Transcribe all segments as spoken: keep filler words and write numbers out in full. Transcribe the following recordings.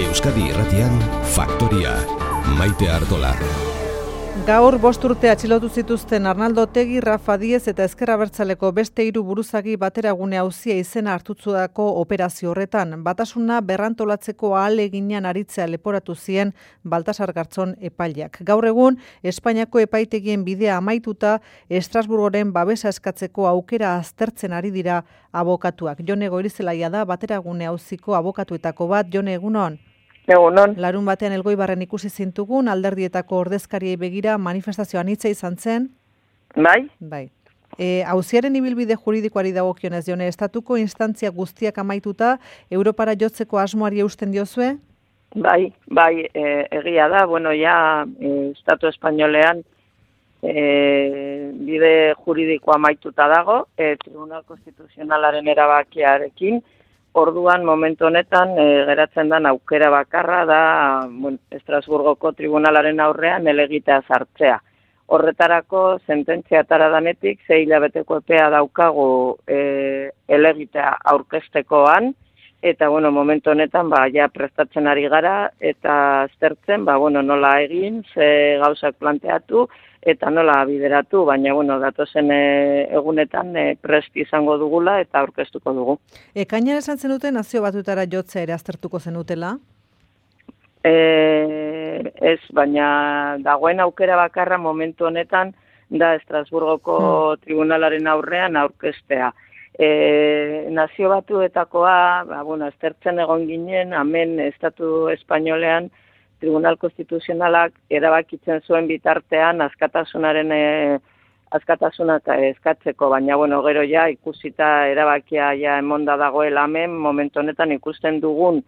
Euskadi Irratian, Faktoria, Maite Artola. Gaur bost urte atxilotu zituzten Arnaldo Otegi, Rafa Diez eta Ezker Abertzaleko beste hiru buruzagi bateragune auzia izena hartutzudako operazio horretan. Batasuna berrantolatzeko ahaleginean aritzea leporatu zien Baltasar Garzón epaileak. Gaur egun, Espainiako epaitegien bidea amaituta, Estrasburgoren babesa eskatzeko aukera aztertzen ari dira abokatuak. Jone Goirizelaia da bateragune auziko abokatuetako bat. Jone, egunon? Egunon. Larun batean Elgoibarren ikusi zintugun, alderdietako ordezkariei begira manifestazioan hitza izan zen. Bai? Bai. E, auziaren ibilbide juridikoari dagokionez, Jone, estatuko instantzia guztiak amaituta, Europara jotzeko asmoari eusten diozue? Bai, bai, e, egia da, bueno, ja, e, Estatu Espainolean e, bide juridikoa amaituta dago, e, Tribunal Konstituzionalaren erabakiarekin. Orduan, momentu honetan, e, geratzen den aukera bakarra da bueno, Estrasburgoko tribunalaren aurrean helegitea sartzea. Horretarako, sententzia atera danetik, sei hilabeteko epea daukagu e, helegitea aurkeztekoan, eta, bueno, momentu honetan, ba, ja prestatzen ari gara, eta aztertzen, ba, bueno, nola egin, ze gauzak planteatu, eta nola bideratu, baina, bueno, datozen e, egunetan e, prest izango dugula eta aurkeztuko dugu. Ekainean esan zenuten nazio batutara jotzea ere aztertuko zenutela? E, ez, baina dagoen aukera bakarra momentu honetan da Estrasburgoko hmm. tribunalaren aurrean aurkeztea. E, nazio batuetakoa, ba, bueno, aztertzen egon ginen, hemen Estatu Espainolean Tribunal Konstituzionalak erabakitzen zuen bitartean askatasunaren e, askatasunak eskatzeko, baina bueno, gero ja ikusita erabakia ja emonda dagoela hemen, momentu honetan ikusten dugun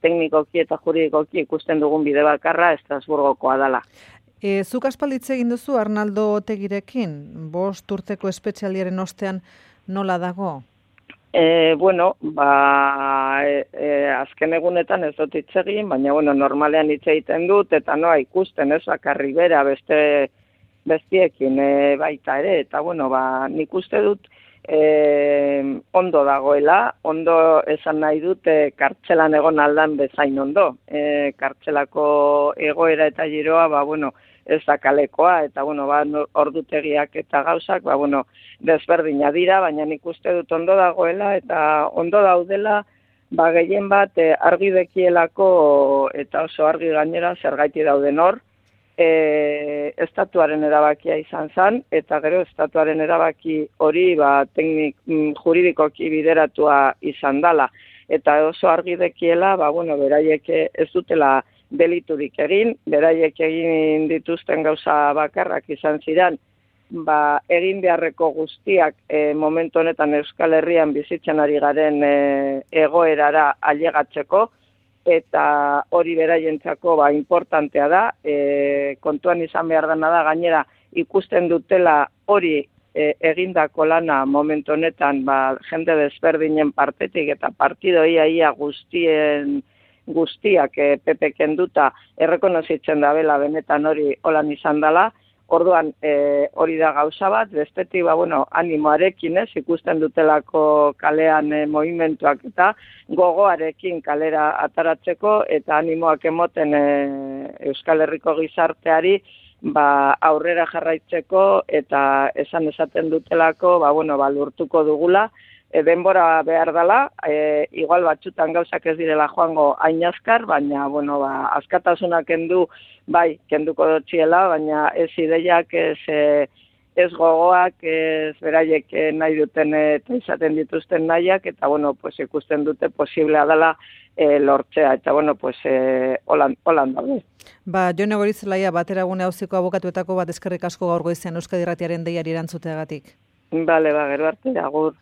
teknikoki eta juridikoki ikusten dugun bide bakarra Estrasburgokoa dela. E, zuk aspalditze egin duzu Arnaldo Otegirekin, bost urteko espetxialdiaren ostean nola dago? E, bueno, ba, e, e, azken egunetan ez dut hitz egin, baina bueno, normalean hitz egiten dut, eta noa ikusten ez bakarri bera beste bestiekin e, baita ere, eta bueno, ba, nik uste dut e, ondo dagoela, ondo esan nahi dut e, kartzelan egon aldan bezain ondo. E, kartzelako egoera eta giroa, ba, bueno, ez da kalekoa, eta bueno, ba, ordutegiak eta gauzak, ba, bueno, desberdina dira, baina nik uste dut ondo dagoela, eta ondo daudela, ba, gehien bat e, argi dekielako, eta oso argi gainera zergaiti dauden hor, e, estatuaren erabakia izan zen, eta gero estatuaren erabaki hori, ba, teknik, juridikoki bideratua izan dala, eta oso argi dekiela, ba, bueno, beraiek ez dutela deliturik egin, beraiek egin dituzten gauza bakarrak izan ziren, ba, egin beharreko guztiak e, momentu honetan Euskal Herrian bizitzen ari garen e, egoerara ailegatzeko, eta hori beraientzako ba, importantea da, e, kontuan izan behar dena da, gainera ikusten dutela hori e, egindako lana momentu honetan ba, jende desberdinen partetik eta partido ia ia guztien guztiak e, P P kenduta errekonozitzen da bela benetan hori holan izan dela. Orduan e, hori da gauza bat, bestetik ba, bueno, animoarekin ez, ikusten dutelako kalean e, movimentuak eta gogoarekin kalera ataratzeko eta animoak emoten e, Euskal Herriko gizarteari ba, aurrera jarraitzeko eta esan esaten dutelako ba, bueno, ba, lortuko dugula. E, denbora behar dela, e, igual batzutan gauzak ez direla joango hain azkar, baina, bueno, ba, askatasuna kendu, bai, kenduko dotxiela, baina ez ideiak, ez, e, ez gogoak, ez beraiek nahi duten eta izaten dituzten nahiak, eta, bueno, pues, ikusten dute posiblea dela e, lortzea, eta, bueno, pues, e, holan, holan daude. Ba, Jone Goirizelaia, bateragune auziko abokatuetako bat eskerrik asko gaur goizean Euskadi Irratiaren deiari erantzuteagatik. Bale, ba, gero arte, agur.